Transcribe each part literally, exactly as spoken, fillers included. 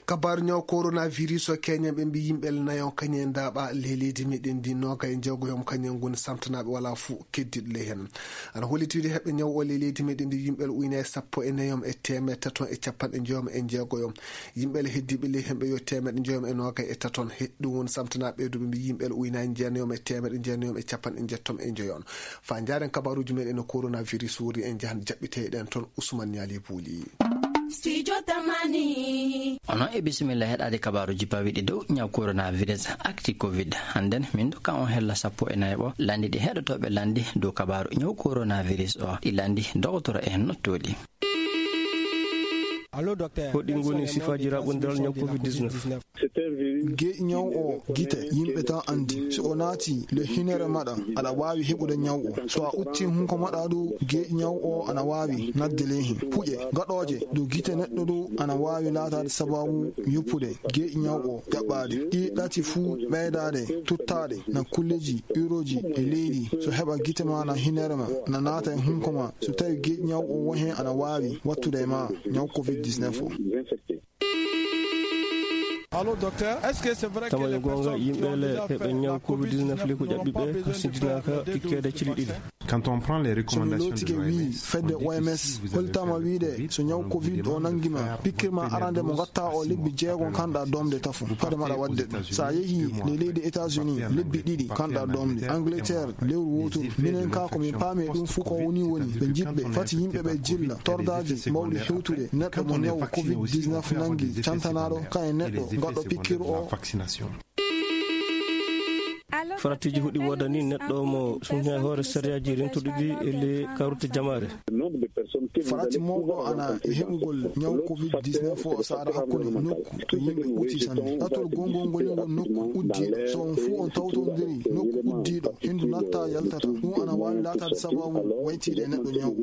Kabaaru ñaw coronavirus o, keñen ɓe mbi yimɓe nayon kañum e ndaaɓa ley leydi meɗen ndi, nooga e jeegoyom kañum ngoni samtanaaɓe, walaa fuu keddiiɗo ley heen. Ana holliti wiyde heɓɓe ñaw o ley leydi meɗen ndi yimɓe uynaay sappo e nayom e teemeɗe taton e capanɗe njoyom e jeegoyom. Yimɓe heddiiɓe ley heen ɓe yo teemeɗe njoyom e nooga e taton. He ɗum woni samtanaaɓe ɓe, ɓe mbi yimɓe uynaay jeenayom e teemeɗe jeenayom e capanɗe njettom e njoyon. Faa njaaren kabaaruuji meɗen no coronavirus wuri, en njahan jaɓɓiteeɗen toon Ousmane Niali Bouli. Studio Tamani. Onon e bisimilla heɗaade kabaaruuji pawiiɗi dow ñaw coronavirus, actu covid. Hannden min ndokka on hella sappo e nayaɓo lanndi ɗi heɗotooɓe lanndi dow kabaaru ñaw coronavirus o. Ɗi lanndi dogotoro en nottooɗi. Ko ɗi ngoni sifaaji raɓɓondiral ñaw covid dix-neuf? Geeƴi ñaw o gite yimɓe tan anndi. So o naati le hinere maɗa, aɗa waawi heɓude ñaw o. So a utti hunko maɗa du, geeƴi ñaw o ana waawi nadde ley hen. Puƴe gaɗooje du gite neɗɗo du ana waawi laataade sababu yoppude geeƴi ñaw o ƴaɓɓaade. Ɗi ɗati fuu ɓeydaade tuttaade na kulleji uroji e leydi. So heɓa gite ma na hinere ma na naata e hunko ma. So tawi geeƴi ñaw o wo hen ana waawi wattude e ma ñaw covid dix-neuf o. Tama yo goonga yimɓe le heɓe ñaw covid dix-neuf le ko ƴaɓɓi ɓe, hasindinaaka pikkeede cili ɗiɗi. Quand on prend les recommandations de l'O M S, fedde O M S holtama wiide so ñaw covid o nangi ma, pikkir ma arande mo ngatta o lebbi jeego kanɗa domde tafo. Fade maɗa wadde ɗum. Sa yehi le leydi États-Unis, lebbi ɗiɗi kanɗa domde. Angleterre, lewru woturu. Minen ka ko min paami e ɗum fuu ko woni woni. Ɓe jiɓɓe, fati yimɓe ɓe jilla. Tordaaji mawɗi hewtude neɗɗo mo ñaw covid dix-neuf nangi, cantanaɗo ka e neɗɗo gaɗɗo pikkir o. Faratiiji hoɗi woodani neɗɗo mo sumti e hoore sariyaaji rentuɗi ɗi e le karute jamaare. Farati mawɗo ana e heɓugol ñaw covid dix-neuf o saara hakkunde nokku to yimɓe ɓuti sanne. Ɗatol gongol ngol ngol nokku uddiiɗo. So on fuu on tawtondiri nokku uddiiɗo, hendu natta yaltata. Ɗum ana waawi laataade sababu waytiiɗe e neɗɗo ñaw.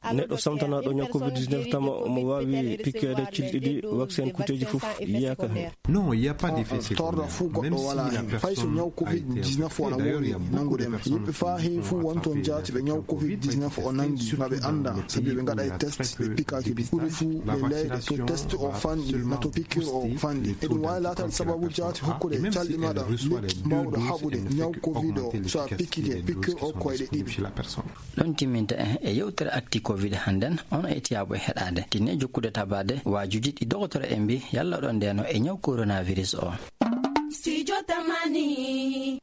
Neɗɗo samtanaaɗo ñaw covid dix-neuf tama omo waawi pikkeede cili ɗiɗi, vaccin kuuteeji fof yiyaaka heen. Non, il y a pas d'effet secondaire. Torra fuu goɗɗo walaa heen. Fay so ñaw covid dix-neuf o ana woowi nanngude ma. Yimɓe faa heewi fuu wonton jaati ɓe ñaw covid dix-neuf o nanngi, ma ɓe annda, sabi ɓe ngaɗa e test, ɓe pikaaki. Ɓuri fuu ɓe leyɗe to test o fanɗi, ma to pikkir o fanɗi. Eɗum waawi laataade sababu jaati hokkude calɗi maɗa lekki mbawɗo haɓude ñaw covid o, so a pikkike pikkir o koyɗe ɗiɗi. Ɗon timminta en e yewtere Actu Covid hannden, on etiyaaɓe heɗaade. Tinne jokkude tabaade waajuuji ɗi dogotoro en mbi yalla ɗon ndeno e ñaw coronavirus o. Studio Tamani.